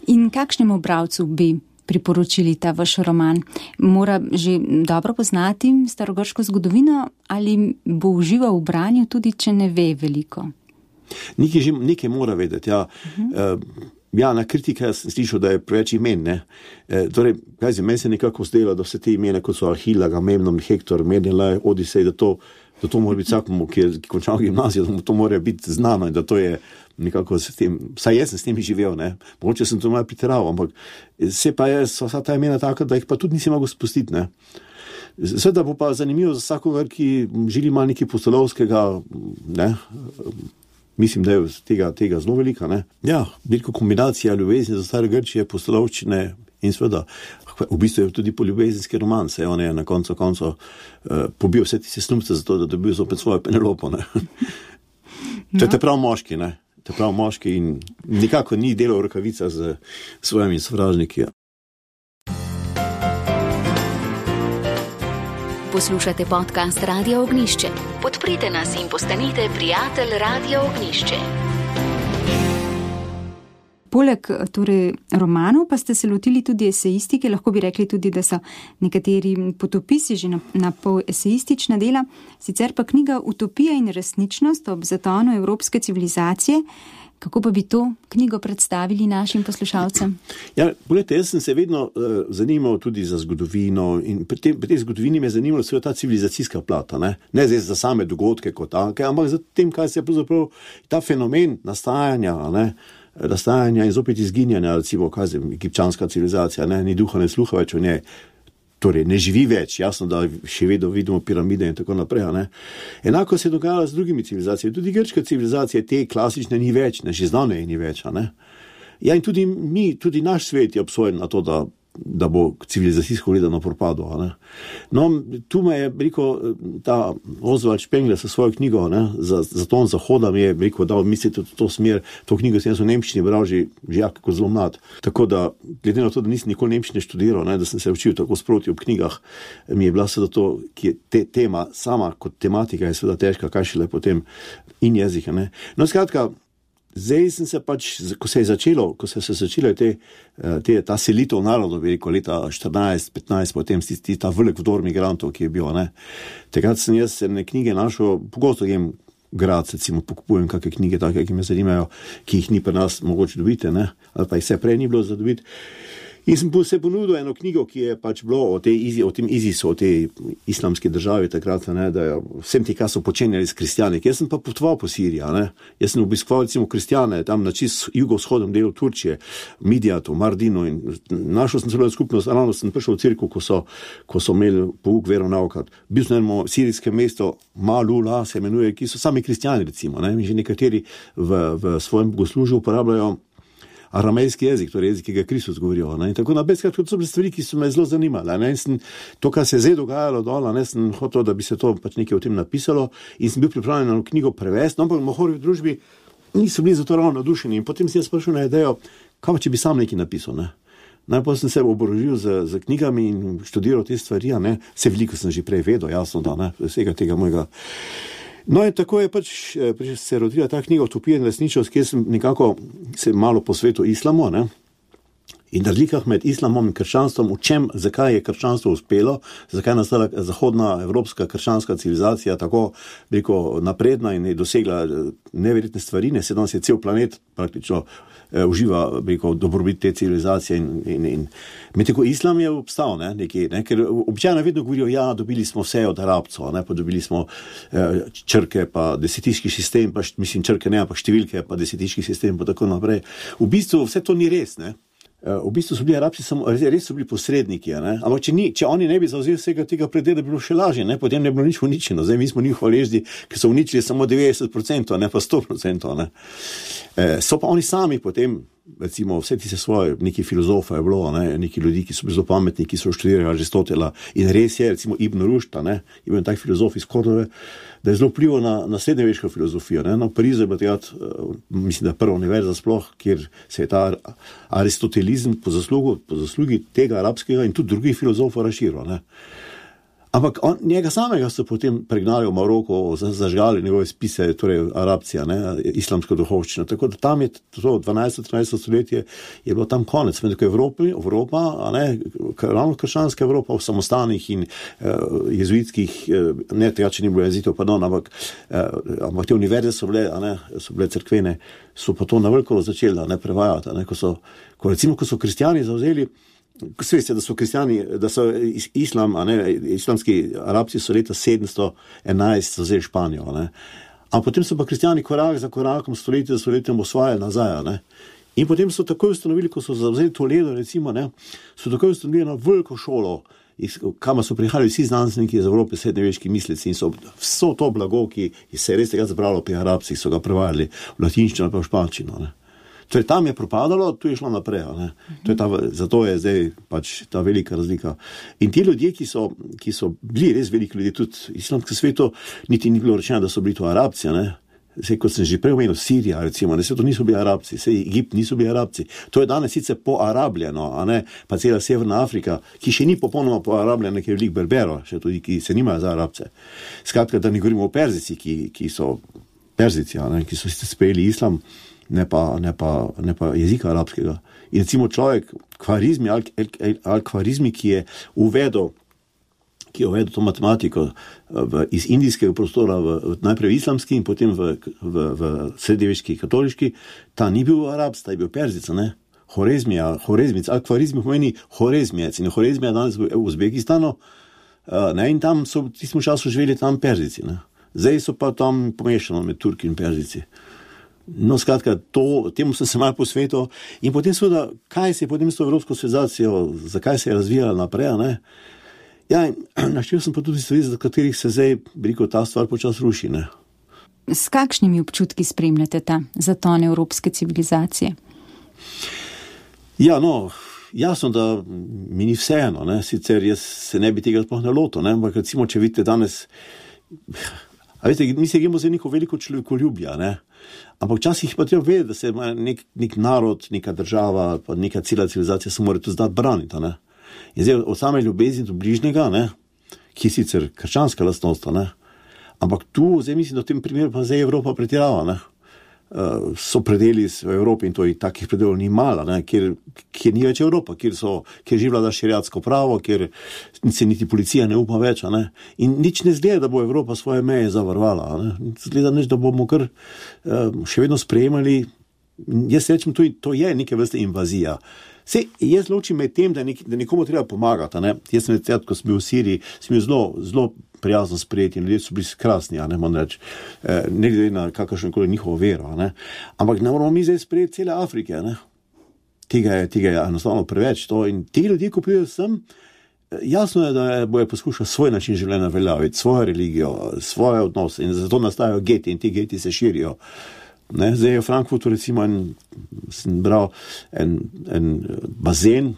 In kakšnemu bralcu bi priporočili ta vaš roman? Mora že dobro poznati starogrško zgodovino ali bo užival v branju, tudi če ne ve veliko? Nekaj mora vedeti, ja. Na kritike sem slišal, da je preveč imen, meni se nekako zdelo, da vse te imena, kot so Ahila, Agamemnon, Hektor, Menelaj, Odisej, da to mora biti vsakomu, ki je končal gimnazijo, da mu to mora biti znano in da to je nekako s tem, saj jaz sem s tem živel, mogoče sem to malo pretiraval, ampak so vsa ta imena taka, da jih pa tudi nisi mogel spustiti, Seveda bo pa zanimivo za vsakogar, ki želi malo nekaj pustolovskega, mislim, da je tega zelo velika, veliko kombinacija ljubezni za stare Grčije, pustolovščine in seveda, v bistvu je tudi poljubezenski roman, saj on je na koncu pobil vse tiste snubce za to, da dobil zopet svojo Penelopo, To je prav moški in nikako ni delal rokavica z svojimi sovražniki. Poslušate podcast Radio Ognjišče. Podprite nas in postanite prijatelj Radio Ognjišče. Poleg romanov pa ste se lotili tudi esejistike, lahko bi rekli tudi, da so nekateri potopisi že na pol esejistična dela, sicer pa knjiga Utopija in resničnost ob zatonu evropske civilizacije. Kako pa bi to knjigo predstavili našim poslušalcem? Ja, poglejte, jaz sem se vedno zanimal tudi za zgodovino in pri tej zgodovini me je zanimalo seveda ta civilizacijska plata, ne zdaj za same dogodke kot take, ampak za tem, kaj se je pravzaprav ta fenomen nastajanja, nastajanja in zopet izginjanja, recimo, egipčanska civilizacija, ne, ni duha, ne sluha več o njej. Torej, ne živi več, jasno, da še vedno vidimo piramide in tako naprej. Ne. Enako se je dogajalo z drugimi civilizacijami. Tudi grška civilizacija, te klasične, ni več, ne, že zdavnaj ni več. Ne. Ja, in tudi naš svet je obsojen na to, da bo civilizacijsko gledano propadlo. Ne. No, tu me je rekel ta Oswald Spengler sa svojo knjigo, ne, za ton Zahoda mi je rekel, da mislite v to smer, to knjigo sem jaz v nemščini bral že jako zelo mlad. Tako da, glede na to, da nisem nikoli nemščine študiral, ne, da sem se učil tako sproti ob knjigah, mi je bila seveda to, ki je tema sama kot tematika je seveda težka, kaj šele potem in jezika. Ne. No, skratka, zdaj sem se pač, ko se je začelo ta selitev narodov, rekel, leta 14-15, potem ta velik vdor migrantov, ki je bil, ne. Takrat sem jaz knjige našel, pogosto jem grad, recimo, pokupujem kakšne knjige, take, ki me zanimajo, ki jih ni pri nas mogoče dobiti, ne, ali pa jih vse prej ni bilo za dobiti. In sem se ponudil eno knjigo, ki je pač bilo o tem ISIS-u, o tej islamski državi takrat, ne, da je vsem ti, kaj so počenjali s kristjani. Jaz sem pa potoval po Siriji, ne. Jaz sem obiskoval recimo kristjane tam na čist jugovzhodnem delu Turčije, Midijatu, Mardinu in našel sem celo skupnost, ravno sem prišel v cerkev, ko so imeli pouk veronauka. Bil sem eno sirijske mesto, Malula se imenuje, ki so sami kristjani recimo, ne. In že nekateri v svojem bogoslužju uporabljajo aramejski jezik, torej jezik, ki ga Kristus govorijo. Ne? In tako naprej, to so bile stvari, ki so me zelo zanimale. Ne? In to, kar se je zdaj dogajalo dol, ne, sem hotel, da bi se to pač nekaj o tem napisalo in sem bil pripravljen na knjigo prevesti, no, ampak v Mohorjevi družbi niso bili za to ravno navdušeni. In potem sem jaz prišel na idejo, kaj pa, če bi sam nekaj napisal. Ne? Najprej sem se oborožil z knjigami in študiral te stvari, ne? Vse veliko sem že prej vedel, jasno, da ne, vsega tega mojega. No in tako je pač se rodila ta knjiga Utopija in resničnost, kjer sem nekako se malo posvetil islamu, ne? In razlikah med islamom in krščanstvom, zakaj je krščanstvo uspelo, zakaj je nastala zahodna evropska krščanska civilizacija tako napredna in je dosegla neverjetne stvari, ne, sedaj je cel planet praktično uživa dobrobit te civilizacije in medtem islam je obstal, ne, ker običajno vedno govorijo, ja, dobili smo vse od Arabcev, ne, pa dobili smo črke, pa desetiški sistem, pa mislim črke ne, pa številke, pa desetiški sistem, pa tako naprej. V bistvu vse to ni res, ne. V bistvu so bili Arabci res so bili posredniki, ne? Ampak če oni ne bi zavzeli vsega tega predela, bi bilo še lažje, ne? Potem ne bi bilo nič uničeno. Zdaj mi smo njih hvaležni, ker so uničili samo 90%, ne pa 100%. Ne? So pa oni sami potem, recimo vse tiste svoje, neki filozofa je bilo, ne? Neki ljudi, ki so bili zelo pametni, ki so študirali Aristotela in res je, recimo Ibn Rušta, ne? Ibn tak filozof iz Kordove, da je zelo vplival na srednjeveško filozofijo. Ne? Na Parizu je bila mislim, da prva univerza sploh, kjer se je ta aristotelizem po zaslugi tega arabskega in tudi drugih filozofov razširil. Ne? Ampak njega samega so potem pregnali v Maroko, zažgali njegove spise, torej Arabcija, ne, islamsko duhovščino. Tako da tam je to 12-13 stoletje je bilo tam konec. Medtem Evropa, ne, ravno krščanska Evropa v samostanih in jezuitskih, ne tega, če ni bilo jezitev, pardon, ampak te univerze so bile cerkvene, so pa to na veliko začeli, ne, prevajati. Ne, ko so kristjani zavzeli, sveste, da so kristjani, da so islam, islamski Arabci so leta 711 zavzeli Španijo, ne. A potem so pa kristjani korak za korakom, stoletje za stoletjem osvajali nazaj, ne. In potem so takoj ustanovili, ko so zavzeli Toledo, recimo, ne, so takoj ustanovili eno veliko šolo, kamor so prihajali vsi znanstveniki iz Evrope, srednjeveški misleci in so to blago, ki se je res tega zbralo pri Arabcih, so ga prevajali v latinščino ali pa v španščino, ne. Torej, tam je propadalo, tu je šlo naprej. Ne? Zato je zdaj pač ta velika razlika. In ti ljudje, ki so bili res veliki ljudje, tudi v islamskem svetu, niti ni bilo rečeno, da so bili to Arabci. Ne? Zdaj, kot sem že prej omenil, Sirija, recimo, ne, to niso bili Arabci, Egipt niso bili Arabci. To je danes sicer poarabljeno, a ne, pa cela Severna Afrika, ki še ni popolnoma poarabljena, ker je veliko Berbero, še tudi, ki se nimajo za Arabce. Skratka, da ne govorimo o Perzici, ki so Perzici, ne, ki so sprejeli islam, ne pa jezika arabskega. In recimo človek, Al-Khwarizmi, ki je uvedel to matematiko iz indijskega prostora najprej v islamski in potem v srednjeveški katoliški, ta ni bil Arabc, ta je bil Perzic, ne? Horezmic, Al-Khwarizmi pomeni Horezmijec in Horezmija danes v Uzbekistanu, ne? In tam so v tistem času živeli tam Perzici, ne? Zdaj so pa tam pomešano med Turki in Perzici. No, skratka, temu sem se malo posvetil in potem seveda, kaj se je potem s to Evropsko civilizacijo, zakaj se je razvijala naprej, ne? Ja, in naštel sem pa tudi stvari, za katerih se zdaj, ta stvar počas ruši, ne? S kakšnimi občutki spremljate ta zaton evropske civilizacije? Ja, no, jasno, da mi ni vseeno, ne? Sicer jaz se ne bi tega sploh ne lotil, ne? Ampak recimo, če vidite danes, a veste, mi se gremo za neko veliko človekoljubja, ne? Ampak včasih pa treba vedeti, da se nek narod, neka država, pa neka cela civilizacija se mora tudi znati braniti, ne? In zdaj od same ljubezni do bližnjega, ne? Ki je sicer krščanska lastnost, ne? Ampak tu, zdaj mislim, da v tem primeru pa zdaj Evropa pretirava, ne? So predeli v Evropi in to je takih predelov ni malo, ne? Kjer ni več Evropa, kjer že vlada šeriatsko pravo, kjer se niti policija ne upa več, ne? In nič ne zgleda, da bo Evropa svoje meje zavarovala, ne? Zgleda nič, da bomo kar še vedno sprejemali. Jaz rečem, to je neke vrste invazija. Sej, jaz ločim med tem, da nekomu treba pomagati, ne? Jaz sem recimo, ko sem bil v Siriji, sem bil zelo prijazno sprejeti in ljudje so bili krasni, ne moram reči, ne glede na kakršnokoli njihovo vero, ne? Ampak ne moramo mi zdaj sprejeti cele Afrike, ne? Tega je enostavno preveč. In ti ljudje, ko pridejo sem, jasno je, da bojo poskušali svoj način življenja veljaviti, svojo religijo, svoje odnose in zato nastajajo geti in ti geti se širijo. Ne, zdaj je v Frankfurtu recimo sem bral en bazen,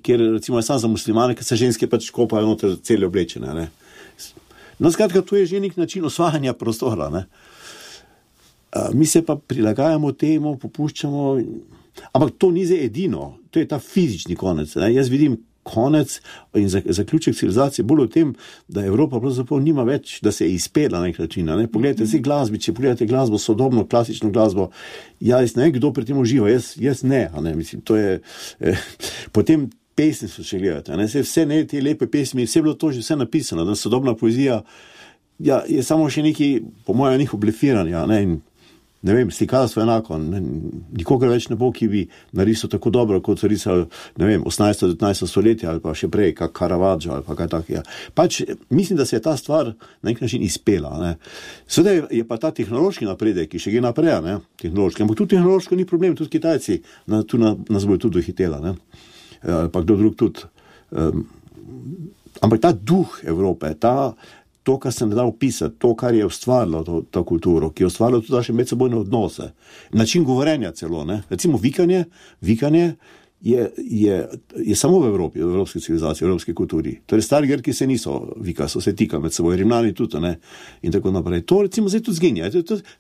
kjer recimo je sam za muslimane, ker se ženske pač kopajo noter cele oblečene. Ne. No, skratka, to je že nek način osvajanja prostora. Ne. Mi se pa prilagajamo temu, popuščamo, ampak to ni zdaj edino, to je ta fizični konec. Ne. Jaz vidim konec in zaključek civilizacije bolj v tem, da Evropa pravzaprav nima več, da se je izpela na nek način. Ne? Poglejte si glasbi, če pogledate glasbo, sodobno, klasično glasbo, jaz ne vem, kdo pri tem uživa, jaz ne, mislim, to je, potem pesmi so še gledate, ne? Vse ne, te lepe pesmi, vse je bilo to že vse napisano, da sodobna poezija, ja, je samo še neki, po mojem, njih oblefiranja, ne, in ne vem, slikarstvo enako, nikogar več ne bo, ki bi narisal tako dobro, kot so risali, ne vem, 18-19 stoletje ali pa še prej, kak Caravaggio ali pa kaj takega. Pač mislim, da se je ta stvar na nek način izpela, ne. Seveda je pa ta tehnološki napredek, ki še gre naprej, ne, tehnološki, ampak tudi tehnološko ni problem, tudi Kitajci tu nas bojo tudi dohitela, ne, ali pa kdo drug tudi. Ampak ta duh Evrope, to, kar sem dal opisati, to, kar je ustvarilo to kulturo, ki je ustvarilo tudi naše medsebojne odnose, način govorenja celo, ne. Recimo vikanje je samo v Evropi, v evropski civilizaciji, v evropski kulturi. Torej stari Grki se niso vikali, so se tikali med seboj, Rimljani tudi, ne, in tako naprej. To recimo zdaj tudi zginja.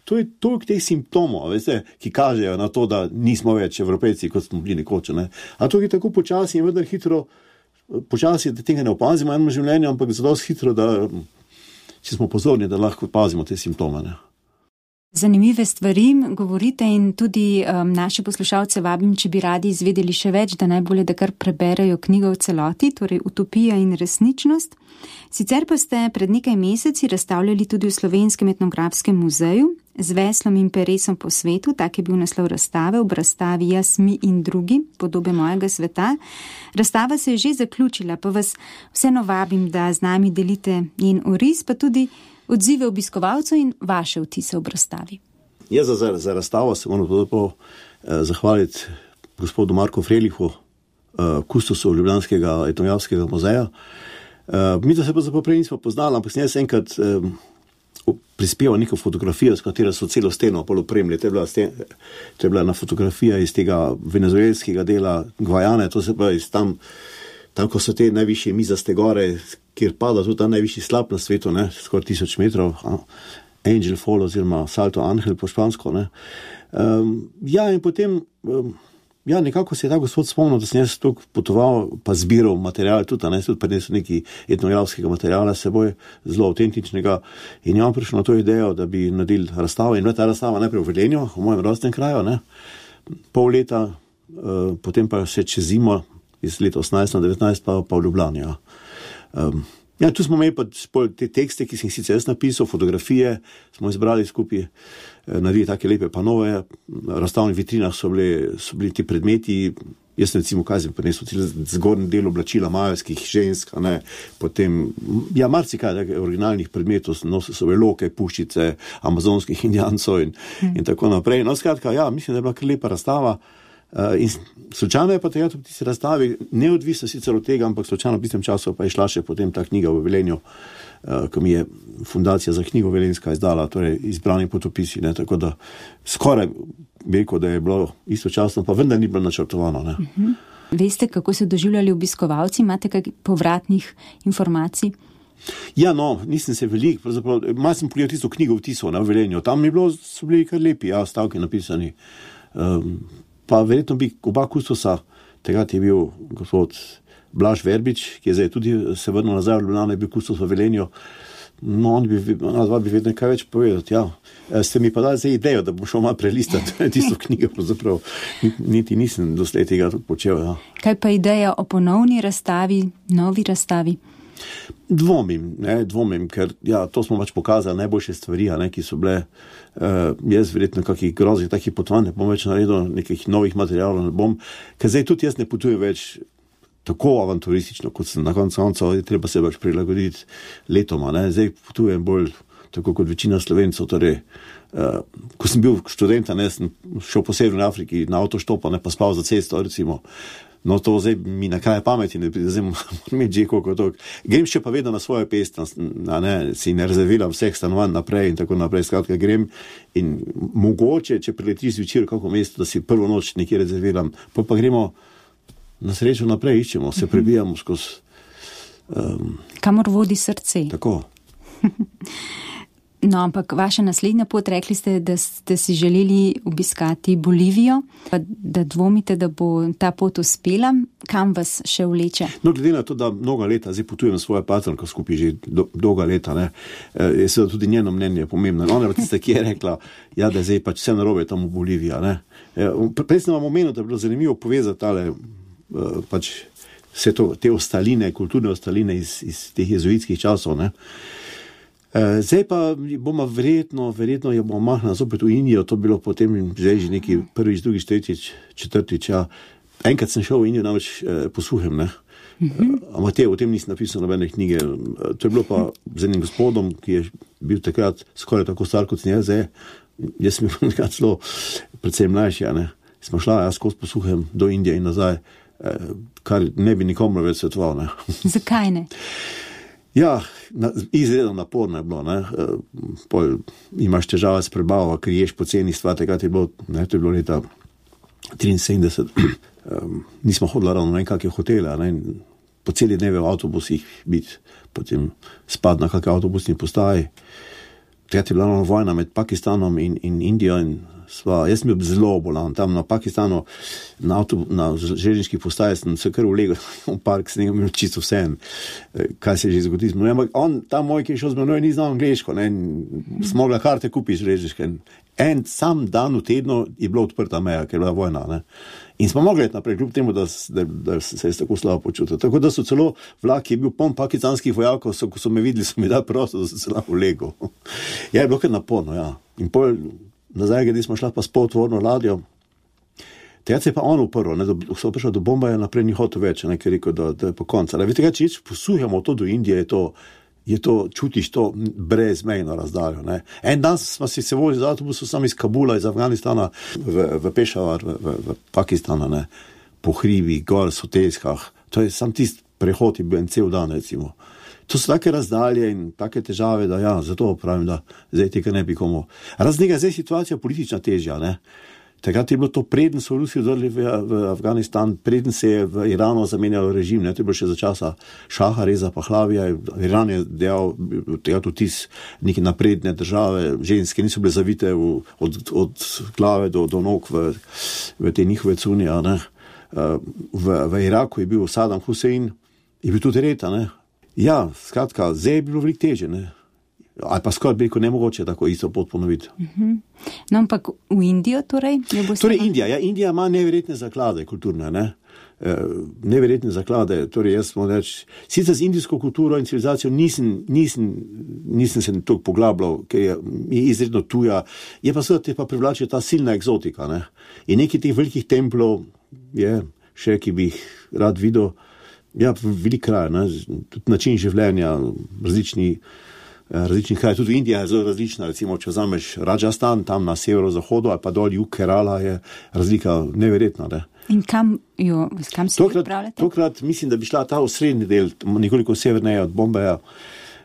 To je toliko teh simptomov, veste, ki kažejo na to, da nismo več Evropejci, kot smo bili nekoč, ne. A to je tako počasi in vendar hitro, počasi, da tega ne opazimo v enem življenju, ampak zelo hitro, da če smo pozorni, da lahko opazimo te simptome. Ne? Zanimive stvari govorite in tudi naše poslušalce vabim, če bi radi izvedeli še več, da najbolje, da kar preberejo knjigo v celoti, torej Utopija in resničnost. Sicer pa ste pred nekaj meseci razstavljali tudi v Slovenskem etnografskem muzeju z veslom in peresom po svetu, tak je bil naslov razstave, ob razstavi Jaz, mi in drugi, podobe mojega sveta. Razstava se je že zaključila, pa vas vseeno vabim, da z nami delite njen oris, pa tudi odzive obiskovalcev in vaše vtise ob razstavi. Jaz za razstavo se moram zahvaliti gospodu Marku Frelihu, kustosu Ljubljanskega etnografskega muzeja. Mi da se pa prej nismo poznali, ampak sem jaz enkrat prispeval neko fotografijo, s katero so celo steno opremili. To je bila ena fotografija iz tega venezuelskega dela Gvajane, to se pa iz tam, ko so te najvišje mizaste gore, kjer pada tudi ta najvišji slap na svetu, ne, skoraj 1000 metrov, Angel Fall oziroma Salto Angel po špansko. Ne. Ja, in potem, ja, nekako se je ta gospod spomnil, da sem jaz toliko potoval, pa zbiral material tudi, ne, tudi prinesel neki etnografskega materiala s seboj, zelo avtentičnega, in ja, prišel na to idejo, da bi naredili razstavo, in bila ta razstava najprej v Velenju, v mojem rojstnem kraju, ne, pol leta, potem pa še čez zimo, iz leta 18-19 pa v Ljubljani, ja. Ja, tu smo imeli pa te tekste, ki sem sicer jaz napisal, fotografije, smo izbrali skupaj, naredili take lepe panove, v razstavnih vitrinah so bili ti predmeti, Jaz sem recimo, kaj sem prinesel, zgornji del oblačila majevskih žensk, potem, marsikaj originalnih predmetov, so veloke, puščice, amazonskih indijancov in tako naprej. No, skratka, mislim, da je bila kar lepa razstava. In slučajno je pa tega tudi tisti razstavi, neodvisno sicer od tega, ampak slučajno v tistem času pa je šla še potem ta knjiga v Velenju, ko mi je Fundacija za knjigo Velenjska izdala, torej izbrani potopisi, tako da skoraj bi rekel, da je bilo istočasno, pa vendar ni bilo načrtovano. Veste, kako so doživljali obiskovalci? Imate kaj povratnih informacij? Nisem se veliko, pravzaprav, malo sem pogledal tisto knjigo vtisov v Velenju, tam so bili kar lepi, stavki napisani. Pa verjetno bi oba kustosa, takrat je bil gospod Blaž Verbič, ki je zdaj tudi se vrnil nazaj v Ljubljano, je bil kustos v Velenju. On bi vedno kaj več povedati, Ste mi pa dali zdaj idejo, da bom šel malo prelistati tisto knjigo, pravzaprav niti nisem doslej tega počel, Kaj pa ideja o ponovni razstavi, novi razstavi? Dvomim, ker to smo pač pokazali najboljše stvari, ki so bile, jaz verjetno kakih groznih takih potovanj ne bom več naredil, nekih novih materialov ne bom, ker zdaj tudi jaz ne potujem več tako avanturistično, kot sem na koncu, treba se pač prilagoditi letoma, zdaj potujem bolj tako kot večina Slovencev, torej, ko sem bil študent, sem šel po Severni Afriki na avtoštopa, pa spal za cesto, recimo. No, to zdaj mi na kraj pameti, zdaj moram imeti že koliko to. Grem še pa vedno na svojo pest, si ne rezerviram vseh stanovanj naprej in tako naprej, skratka grem in mogoče, če priletiš zvečer v kako mesto, da si prvo noč nekje rezerviram, pa gremo na srečo naprej, iščemo, se prebijamo skozi. Kamor vodi srce. Tako. No, ampak vaša naslednja pot, rekli ste, da ste si želeli obiskati Bolivijo, pa da dvomite, da bo ta pot uspela. Kam vas še vleče? No, glede na to, da mnoga leta zdaj potujem s svojo patronko skupaj že dolga leta, je seveda tudi njeno mnenje pomembno. Ona je tista, ki je rekla, da je zdaj pač vse narobe tam v Boliviji. Prej sem vam omenil, da je bilo zanimivo povezati pač vse to, te ostaline, kulturne ostaline iz teh jezuitskih časov, Zdaj pa bomo verjetno jo bomo mahnili zopet v Indijo, to bilo potem zdaj že neki prvič, drugič, tretjič, četrtič, Enkrat sem šel v Indijo, namreč po suhem, Ampak o tem nisem napisal nobene knjige. To je bilo pa z enim gospodom, ki je bil takrat skoraj tako star kot sem zdaj. Jaz sem bil nekaj celo predvsem mlajši, Smo šla skozi po suhem do Indije in nazaj, kar ne bi nikomu več svetoval, Zakaj ne? Izredno naporno je bilo, Pol imaš težave s prebavo, ker ješ poceni stvar, takrat je bilo, to je bilo leta 73, nismo hodili ravno na kakšne hotele, po celi dneve v avtobusih biti, potem spad na kakšne avtobusni postaji. Takrat je bila vojna med Pakistanom in Indijo in jaz sem bil zelo bolan, tam na Pakistanu, na železniških postajah sem se kar ulegel v park, sem imel čisto vse, kaj se je že zgodilo. Ampak ta moj, ki je šel z menoj, ni znal angleško, smo mogli karte kupiti železniške. En sam dan v tednu je bila odprta meja, ker je bila vojna, In smo mogli naprej, kljub temu, da se je tako slabo počutil. Tako da so celo vlak, ki je bil poln pakistanskih vojakov, ko so me videli, so mi dali prosto, da sem se lahko ulegel. Je bilo kar naporno, In pol nazaj, gdje smo šla pa s poltvorno ladjo, takrat se je pa on uprl, da so prišli do Bombaja, naprej ni hotel več, ker je rekel, da je po konca. Veste, če posuhamo to do Indije, je to čutiš to brezmejno razdaljo. En dan smo se vozili z avtobusom sam iz Kabula, iz Afganistana v Pešavar, v Pakistana, po hribi, gor, sotelskah. To je sam tisti prehod, je bil en cel dan, recimo. To so take razdalje in take težave, da zato pravim, da zdaj tega ne bi komu. Razen tega, zdaj je situacija politična težja, Takrat je bilo to, preden so Rusi vdrli v Afganistan, preden se je v Iranu zamenjalo režim, to je bilo še za časa Šaha Reza Pahlavija. Iran je dejal vtis neke napredne države, ženske niso bile zavite od glave do nog v te njihove cunje. V Iraku je bil Saddam Hussein, je bil tudi Reta. Skratka, zdaj je bilo veliko težje, Ali pa skoraj bi rekel nemogoče tako isto pot ponoviti. No, ampak v Indijo torej? Indija ima neverjetne zaklade kulturne, Neverjetne zaklade, torej jaz smo reči, sicer z indijsko kulturo in civilizacijo nisem se toliko poglabljal, ker je izredno tuja, je pa seveda te pa privlači ta silna egzotika, In nekaj teh velikih templov je, še, ki bi jih rad videl. Ja, velik kraj, ne? Tudi način življenja, različni kraj, tudi Indija je zelo različna, recimo, če vzameš Rajasthan, tam na severozahodu, ali pa dol jug Kerala, je razlika neverjetna, ne? In kam se pripravljate? Tokrat mislim, da bi šla ta osrednji del, nekoliko severneje od Bombeja,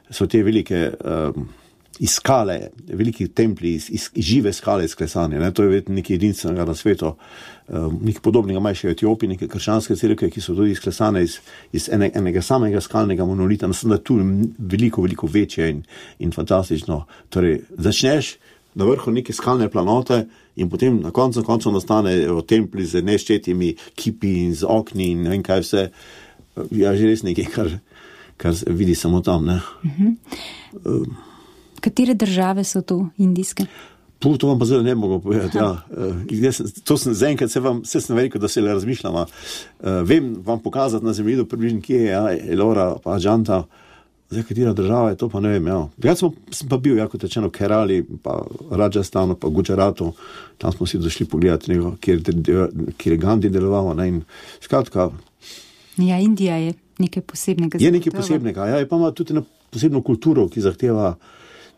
so te velike iz skale, veliki templji, iz žive skale izklesane, ne? To je nekaj edinstvenega na svetu, nekaj podobnega imajo še v Etiopiji, neke krščanske cerkve, ki so tudi izklesane iz enega samega skalnega monolita, mislim, da tu veliko večje in fantastično. Torej, začneš na vrhu neke skalne planote in potem na koncu nastane templi z neštetimi kipi in z okni in ne vem kaj vse. Ja, že res nekaj, kar vidi samo tam, ne. Katere države so to indijske? To vam pa zelo ne mogo povedati, ja. Zaenkrat sem rekel, da se le razmišljam. Vem vam pokazati na zemljevidu približno, kje je Elora pa Ajanta. Zdaj, katera država je to, pa ne vem, ja. Takrat sem pa bil, kot rečeno, v Kerali, pa Rajasthanu, pa Gujaratu. Tam smo si došli pogledati, kjer je Gandhi deloval, ne, in skratka. Ja, Indija je nekaj posebnega. Je nekaj posebnega, ja, pa ima tudi posebno kulturo, ki zahteva,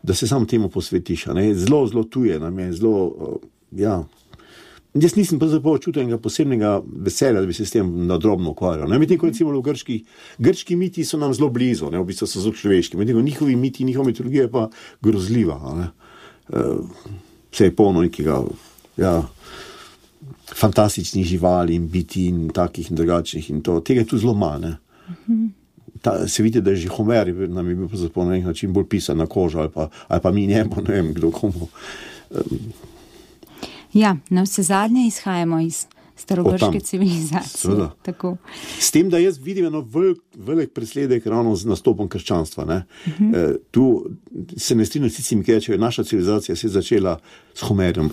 da se samo temu posvetiš, ne, zelo tuje, nam je zelo, ja. Jaz nisem pa zapravo čutil enega posebnega veselja, da bi se s tem nadrobno ukvarjal. Medtem ko recimo v grški miti so nam zelo blizu, ne, v bistvu so zelo človeški, medtem ko njihovi miti, njihova mitologija je pa grozljiva, ne. Vse je polno nekega, ja, fantastičnih živali in biti in takih in drugačnih in to, tega je tu zelo malo, ne. Se vidi, da je že Homer nam je bil po nek način bolj pisan na kožo ali pa mi njemu, ne vem, kdo komu. Ja, na vse zadnje izhajamo iz starogrške civilizacije. Tako. S tem, da jaz vidim eno velik presledek ravno z nastopom krščanstva. Ne? Tu se ne strinjam s tistimi, ki rečejo, naša civilizacija se je začela s Homerjem.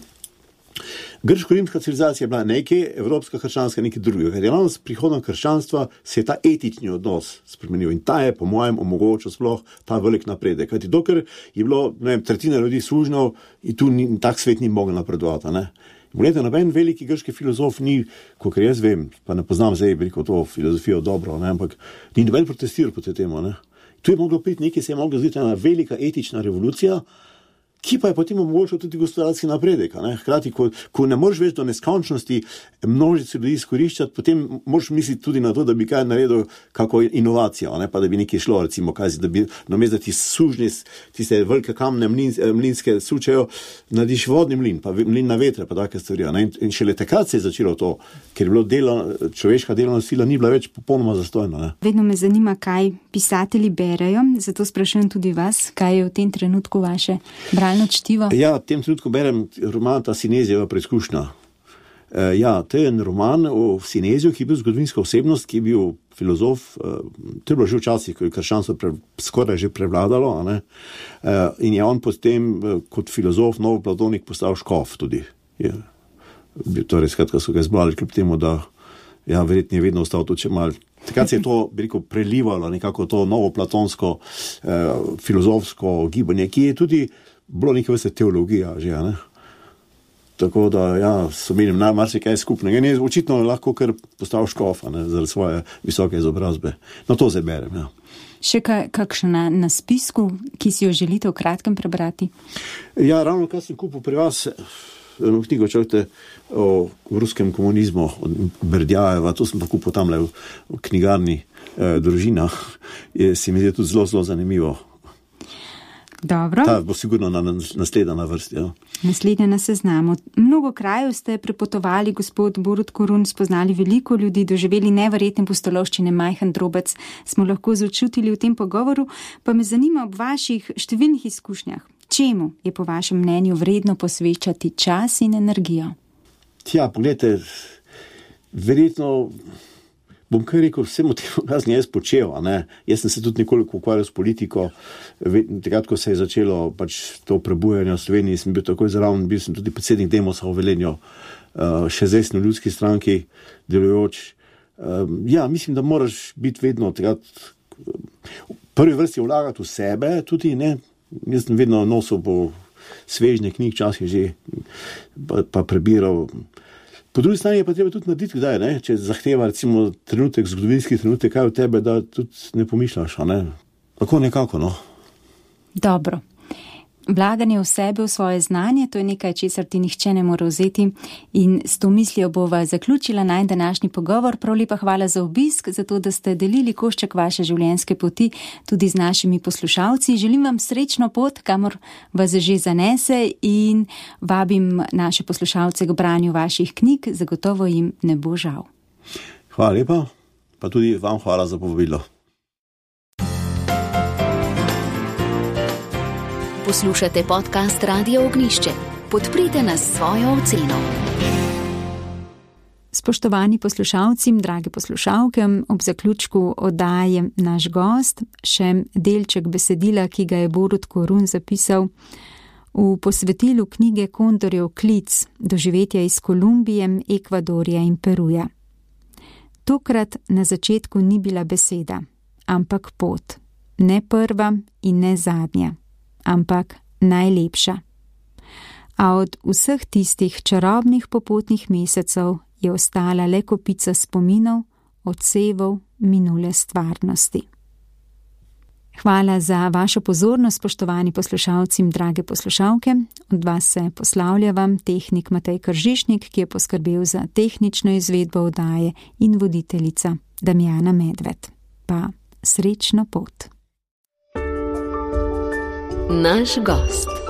Grško-rimska civilizacija je bila nekaj, evropska krščanska nekaj drugega. Ker je ravno s prihodom krščanstva se je ta etični odnos spremenil in ta je, po mojem, omogočil sploh ta velik napredek. Kajti dokler je bilo, ne vem, tretjina ljudi sužnjev in tu tak svet ni mogel napredovati, ne. Poglejte, noben veliki grški filozof ni, kolikor jaz vem, pa ne poznam zdaj veliko to filozofijo dobro, ne, ampak ni noben protestiral proti temu, ne. Tu je moglo priti nekaj, se je moglo zgoditi ena velika etična revolucija, ki pa je potem omogočil tudi gospodarski napredek. Ne? Hkrati, ko ne moreš več do neskončnosti množice ljudi izkoriščati, potem moraš misliti tudi na to, da bi kaj naredil kako inovacijo, ne? Pa da bi nekaj šlo, recimo, da bi namesto da ti sužnji, tiste velike kamne mlinske sučejo, narediš vodni mlin, pa mlin na vetre, pa take stvari. Ne? In šele takrat se je začelo to, ker je bilo človeška delovna sila ni bila več popolnoma zastojna. Ne? Vedno me zanima, kaj pisatelji berejo, zato sprašujem tudi vas, kaj je v tem trenutku vaše čtivo? Ja, v tem trenutku berem roman Ta Sinezijeva preizkušnja. Ja, to je en roman o Sineziju, ki je bil zgodovinska osebnost, ki je bil filozof, to je bilo že včasih, ko je krščanstvo skoraj že prevladalo, ne? In je on potem kot filozof, novoplatonik postal škof tudi. Torej, skratka, so ga izbrali kljub temu, da ja, verjetno je vedno ostal tudi če malo. Takrat se je to, bi rekel, prelivalo nekako to novoplatonsko filozofsko gibanje, ki je tudi bilo nekaj vrste teologija že, ne? Tako da, ja, so imeli marsikaj skupnega. In je očitno lahko kar postal škof, ne, zaradi svoje visoke izobrazbe. No, to zdaj berem, ja. Še kakšna na spisku, ki si jo želite v kratkem prebrati? Ja, ravno kar sem kupil pri vas, eno knjigo čakajte o ruskem komunizmu od Berdjajeva, to sem pa kupil tamle v knjigarni Družina. Se mi zdi tudi zelo zanimivo. Dobro. Ta bo sigurno naslednja na vrsti. Ja. Naslednja na seznamu. Mnogo krajev ste prepotovali, gospod Borut Korun, spoznali veliko ljudi, doživeli neverjetne pustolovščine, majhen drobec smo lahko začutili v tem pogovoru, pa me zanima ob vaših številnih izkušnjah. Čemu je po vašem mnenju vredno posvečati čas in energijo? Tja, pogledajte, verjetno bom kar rekel, vsemu temu, kar sem jaz počel, ne. Jaz sem se tudi nekoliko ukvarjal s politiko, takrat, ko se je začelo pač to prebujanje v Sloveniji, sem bil takoj zraven, bil sem tudi predsednik Demosa v Velenju, še zdaj sem v ljudski stranki delujoč. Ja, mislim, da moraš biti vedno takrat, v prvi vrsti vlagati v sebe, tudi, ne. Jaz sem vedno nosil po svežne knjig, časih že, pa prebiral. Po drugi strani je pa treba tudi narediti, kdaj, ne? Če zahteva recimo trenutek, zgodovinski trenutek, kaj od tebe, da tudi ne pomišljaš, ne? Tako nekako, no. Dobro. Vlaganje v sebe, v svoje znanje, to je nekaj, česar ti nihče ne more vzeti in s to mislijo bova zaključila naj današnji pogovor. Prav lepa hvala za obisk, za to, da ste delili košček vaše življenjske poti tudi z našimi poslušalci. Želim vam srečno pot, kamor vas že zanese in vabim naše poslušalce k branju vaših knjig, zagotovo jim ne bo žal. Hvala lepa, pa tudi vam hvala za povabilo. Poslušate podcast Radio Ognišče. Podprite nas s svojo oceno. Spoštovani poslušalci, drage poslušalke, ob zaključku oddaje naš gost, še delček besedila, ki ga je Borut Korun zapisal v posvetilu knjige Kondorjev klic, doživetja iz Kolumbije, Ekvadorja in Peruja. Tokrat na začetku ni bila beseda, ampak pot. Ne prva in ne zadnja, ampak najlepša. A od vseh tistih čarobnih popotnih mesecev je ostala le kopica spominov, odsevov minule stvarnosti. Hvala za vašo pozornost, spoštovani poslušalci in drage poslušalke. Od vas se poslavlja vam tehnik Matej Kržišnik, ki je poskrbel za tehnično izvedbo oddaje, in voditeljica Damjana Medved. Pa srečno pot. Naš gost.